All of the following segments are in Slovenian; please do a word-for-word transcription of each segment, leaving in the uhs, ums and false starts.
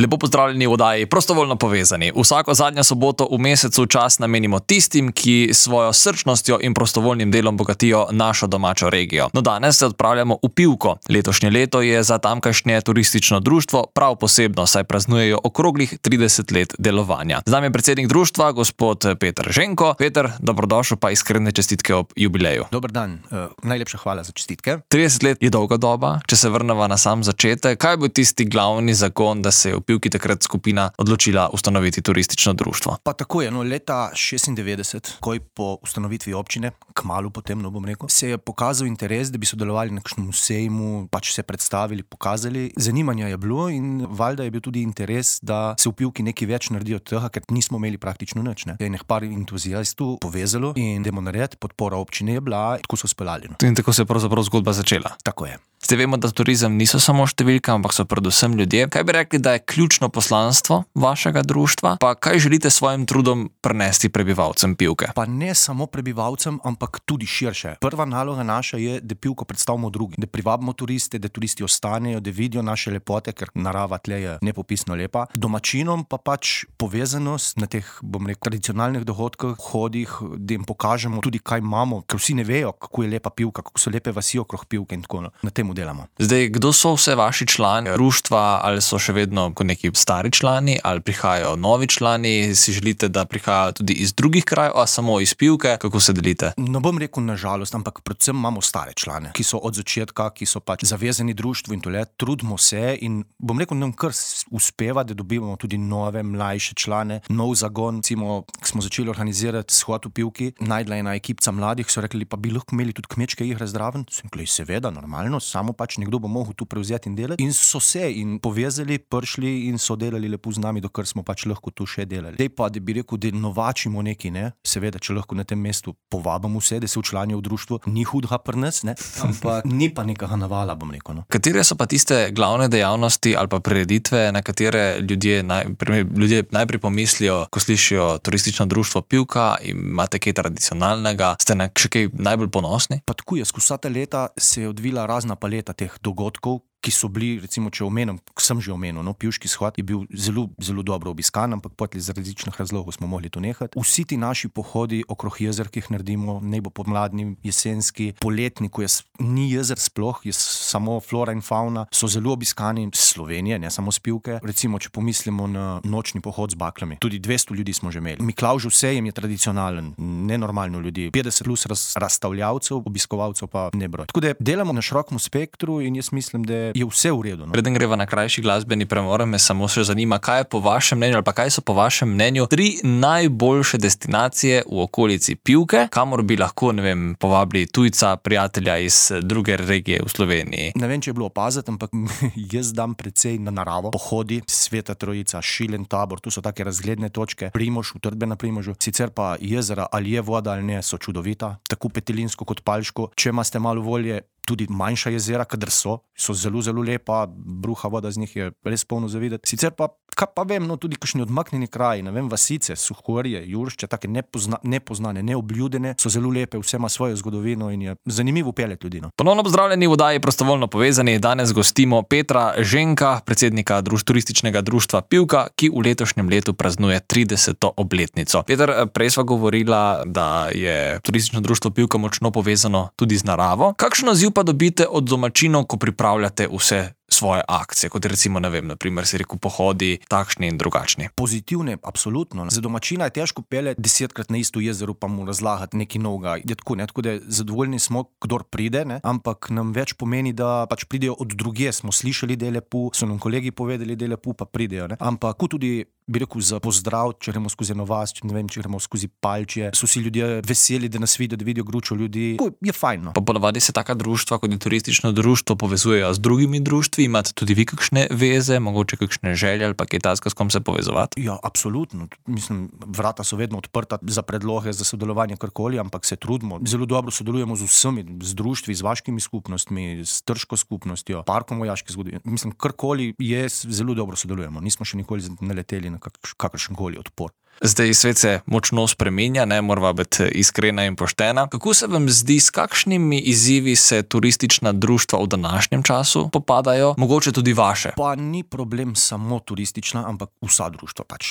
Lepo pozdravljeni v oddaji Prostovoljno povezani. Vsako zadnjo soboto v mesecu čas namenimo tistim, ki svojo srčnostjo in prostovoljnim delom bogatijo našo domačo regijo. No, danes se odpravljamo v Pivko. Letošnje leto je za tamkajšnje turistično društvo prav posebno, saj praznujejo okroglih trideset let delovanja. Z nami je predsednik društva, gospod Peter Ženko. Peter, dobrodošel, pa iskrene čestitke ob jubileju. Dober dan, uh, najlepša hvala za čestitke. trideset let je dolga doba, če se vrnemo na sam začetek. Kaj je bil tisti glavni zagon, da se je v Pivki takrat skupina odločila ustanoviti turistično društvo? Pa tako je, no, leta šestindevetdeset, ko je po ustanovitvi občine, kmalu potem, no bom rekel, se je pokazal interes, da bi sodelovali na kakšnem sejmu, pač se predstavili, pokazali. Zanimanja je bilo in valjda je bil tudi interes, da se v Pivki nekaj več naredi od tega, ker nismo imeli praktično nič. Ne. Je nekaj par entuzijastov povezalo in dajmo narediti, podpora občine je bila, tako so speljali. No. In tako se je pravzaprav zgodba začela. Tako je. Zdaj vemo, da turizem niso samo številka, ampak so predvsem ljudje. Kaj bi rekli, da je ključno poslanstvo vašega društva? Pa kaj želite s svojim trudom prenesti prebivalcem Pivke? Pa ne samo prebivalcem, ampak tudi širše. Prva naloga naša je, da Pivko predstavimo drugim, da privabimo turiste, da turisti ostanejo, da vidijo naše lepote, ker narava tle je nepopisno lepa. Domačinom pa pač povezanost na teh, bom rekel, tradicionalnih dogodkih, hodih, da jim pokažemo tudi, kaj imamo, ker vsi ne vejo, kako je lepa Pivka, kako so lepe vasi okrog Pivke in tako na tem delamo. Zdaj, kdo so vse vaši člani društva, ali so še vedno kot neki stari člani, ali prihajajo novi člani, si želite, da prihajajo tudi iz drugih krajev, a samo iz Pivke, kako se delite? Ne bom rekel na žalost, ampak predvsem imamo stare člane, ki so od začetka, ki so pač zavezani društvu in tole, trudimo se in bom rekel, nam kar uspeva, da dobivamo tudi nove, mlajše člane, nov zagon. Recimo, smo začeli organizirati shod v Pivki, najdla ena ekipca mladih, so rekli, pa bi lahko imeli tudi kmečke igre zraven. Sem rekli, seveda, normalno, samo pač nekdo bo mogel tu prevzeti in delati. In so se in povezali, prišli in so delali lepo z nami, dokler smo pač lahko tu še delali. Dej pa, da bi rekel, da novačimo neki, ne, seveda, če lahko na tem mestu povabimo vse, da se včlanijo v društvo, ni hudega pri nas, ne, ampak ni pa nekega navala, bom rekel. No. Katere so pa tiste glavne dejavnosti ali pa prireditve, na katere ljudje, naj, ljudje najprej pomislijo, ko slišijo turistično društvo Pivka, imate kaj tradicionalnega, ste na še kaj najbolj ponosni? Pa tako je, skozi vsa ta leta se je odvila razna paleta teh dogodkov, ki so bili, recimo, če omenim, sem že omenil, no, Pivški shod je bil zelo, zelo dobro obiskan, ampak potem iz različnih razlogov smo mogli to nehati. Vsi ti naši pohodi okrog jezer, ki jih naredimo, naj bo pomladni, jesenski, poletni, ko je, ni jezer sploh, je samo flora in fauna, so zelo obiskani iz Slovenije, ne samo z Pivke. Recimo, če pomislimo na nočni pohod z baklami, tudi dvesto ljudi smo že imeli. Miklavžev sejem je tradicionalen, nenormalno ljudi, petdeset plus raz, razstavljavcev, obiskovalcev pa ne broj. Tako da delamo na širokem spektru in jaz mislim, da je vse v redu. No? Preden greva na krajši glasbeni premor, me samo še zanima, kaj je po vašem mnenju ali pa kaj so po vašem mnenju tri najboljše destinacije v okolici Pivke, kamor bi lahko, ne vem, povabili tujca, prijatelja iz druge regije v Sloveniji. Ne vem, če je bilo opaziti, ampak jaz dam precej na naravo. Pohodi, Sveta Trojica, Šilen Tabor, tu so take razgledne točke, Primož, utrdbe na Primožu. Sicer pa jezera, ali je voda ali ne, so čudovita, tako Petelinsko kot Palško. Če imate malo volje, tudi manjša jezera, kadar so, so zelo, zelo lepa, bruha voda z njih je res polno zavideti. Sicer pa, kaj pa vem, no, tudi kakšni odmaknjeni kraji, ne vem, vasice, Suhorje, Juršče, take nepozna, nepoznane, neobljudene, so zelo lepe, vse ima svojo zgodovino in je zanimivo peljati ljudi. No. Ponovno pozdravljeni v oddaji Prostovoljno povezani. Danes gostimo Petra Ženka, predsednika druž, turističnega društva Pivka, ki v letošnjem letu praznuje trideseto obletnico. Peter, prej sva govorila, da je turistično društvo Pivka močno povezano tudi z naravo. Kakšen odziv pa dobite od domačinov, ko pripravljate vse svoje akcije, kot recimo, ne vem, na primer si rekel pohodi, takšni in drugačni? Pozitivne, absolutno. Za domačina je težko peljati desetkrat na isto jezero pa mu razlagati nekaj novega. Je tako, ne, tako da zadovoljni smo, kdor pride, ne, ampak nam več pomeni, da pač pridejo od drugje. Smo slišali, da je lepo, so nam kolegi povedali, da je lepo, pa pridejo, ne. Ampak tudi, bi rekel, za pozdrav, če gremo skozi eno vas, če ne vem, če gremo skozi Palčje, so si ljudje veseli, da nas vidijo, da vidijo gručo ljudi. To je fajn, no. Pa ponavadi se taka društva, kot je turistično društvo, povezujejo z drugimi društvi. Imate tudi vi kakšne veze, mogoče kakšne želje ali pa kaj takega, s kom se povezovati? Ja, absolutno. Mislim, vrata so vedno odprta za predloge, za sodelovanje karkoli, ampak se trudimo. Zelo dobro sodelujemo z vsemi, z društvi, z vaškimi skupnostmi, s Trško skupnostjo, parkom vojaške zgodovine. Mislim, karkoli je, zelo dobro sodelujemo. Nismo še nikoli naleteli na kakršen koli odpor. Zdaj svet se močno spreminja, ne morava biti iskrena in poštena. Kako se vam zdi, s kakšnimi izzivi se turistična društva v današnjem času popadajo, mogoče tudi vaše? Pa ni problem samo turistična, ampak vsa društva pač.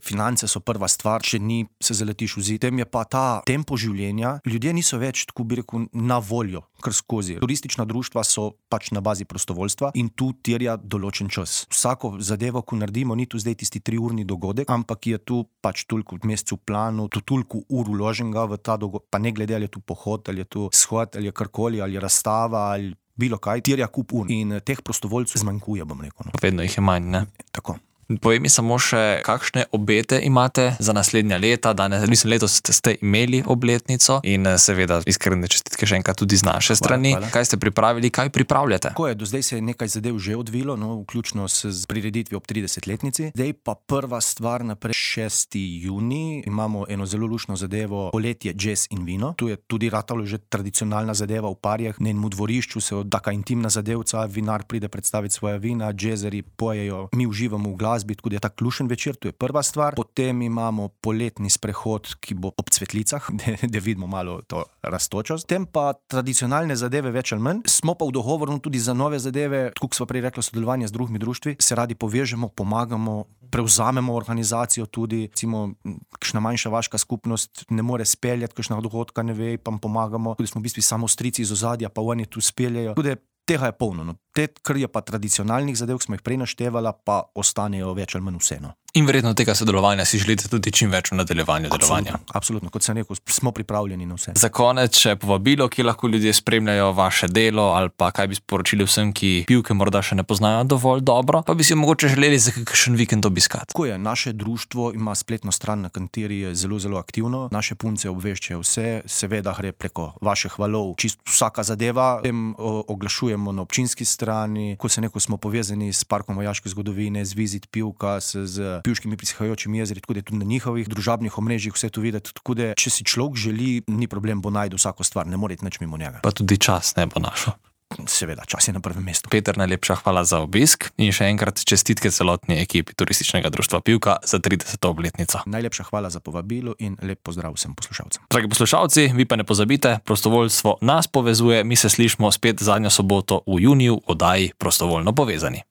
Finance so prva stvar, če ni, se zaletiš v zid. Tem je pa ta tempo življenja, ljudje niso več, tako bi rekel, na voljo, kar skozi. Turistična društva so pač na bazi prostovoljstva in tu terja določen čas. Vsako zadevo, ko naredimo, ni tu zdaj tisti triurni dogodek, ampak je tu pač toliko v mesecu planu, tu toliko ur vloženega v ta dogodek, pa ne glede, ali je tu pohod, ali je tu shod, ali je karkoli, ali je razstava, ali bilo kaj, terja kup ur. In teh prostovoljcev zmanjkuje, bom rekel. No. Vedno jih je manj, ne? Tako. Povej mi samo še, kakšne obete imate za naslednja leta. Danes, mislim, letos ste imeli obletnico in seveda iskrene čestitke še enkrat tudi z naše strani. Hvala, hvala. Kaj ste pripravili, kaj pripravljate? Tako je, do zdaj se je nekaj zadev že odvilo, no, vključno s prireditvijo ob tridesetletnici. Zdaj pa prva stvar naprej, šesti junij, imamo eno zelo luštno zadevo, poletje, jazz in vino. Tu je tudi ratalo že tradicionalna zadeva v Parjah, na enem dvorišču se taka intimna zadevca, vinar pride predstaviti svoja vina, jazzeri pojejo, mi uživamo v glasu. Tako da je tak lušen večer, to je prva stvar. Potem imamo poletni sprehod, ki bo ob cvetlicah, da vidimo malo to rastočost. Potem pa tradicionalne zadeve več ali manj. Smo pa v dogovoru tudi za nove zadeve, tako kot smo prej rekli, sodelovanje z drugimi društvi, se radi povežemo, pomagamo, prevzamemo organizacijo tudi, recimo, kakšna manjša vaška skupnost ne more speljati, kakšna dogodka ne ve, pa pomagamo. Tudi smo v bistvu samo strici iz ozadja, pa oni tu speljajo. Tudi tega je polno. No. Te, kar je pa tradicionalnih zadev, ki smo jih prej naštevala, pa ostanejo več ali manj vseeno. In verjetno tega sodelovanja si želite tudi čim več v nadaljevanju delovanja. Absolutno, absolutno. Kot sem rekel, smo pripravljeni na vse. Za konec še povabilo, ki lahko ljudje spremljajo vaše delo, ali pa kaj bi sporočili vsem, ki pivke morda še ne poznajo dovolj dobro, pa bi si mogoče želeli za kakšen vikend obiskati. Tako je, naše društvo ima spletno stran, na kateri je zelo, zelo aktivno. Naše punce obveščajo vse, seveda gre preko vaših valov, čisto vsaka zadeva. Potem oglašujemo na občinski strani, ko se neko smo povezani s Parkom vojaške zgodovine, z Vizit Pivka, z pivškimi prihajajočimi jezeri, tako da je tudi na njihovih družabnih omrežjih vse to videti. Tako da, če si človek želi, ni problem, bo najdu vsako stvar, ne more iti nič mimo njega. Pa tudi čas ne bo našel. Seveda, čas je na prvem mestu. Peter, najlepša hvala za obisk in še enkrat čestitke celotni ekipi Turističnega društva Pivka za trideseto obletnico. Najlepša hvala za povabilo in lep pozdrav vsem poslušalcem. Dragi poslušalci, vi pa ne pozabite, prostovoljstvo nas povezuje, mi se slišimo spet zadnjo soboto v juniju v oddaji Prostovoljno povezani.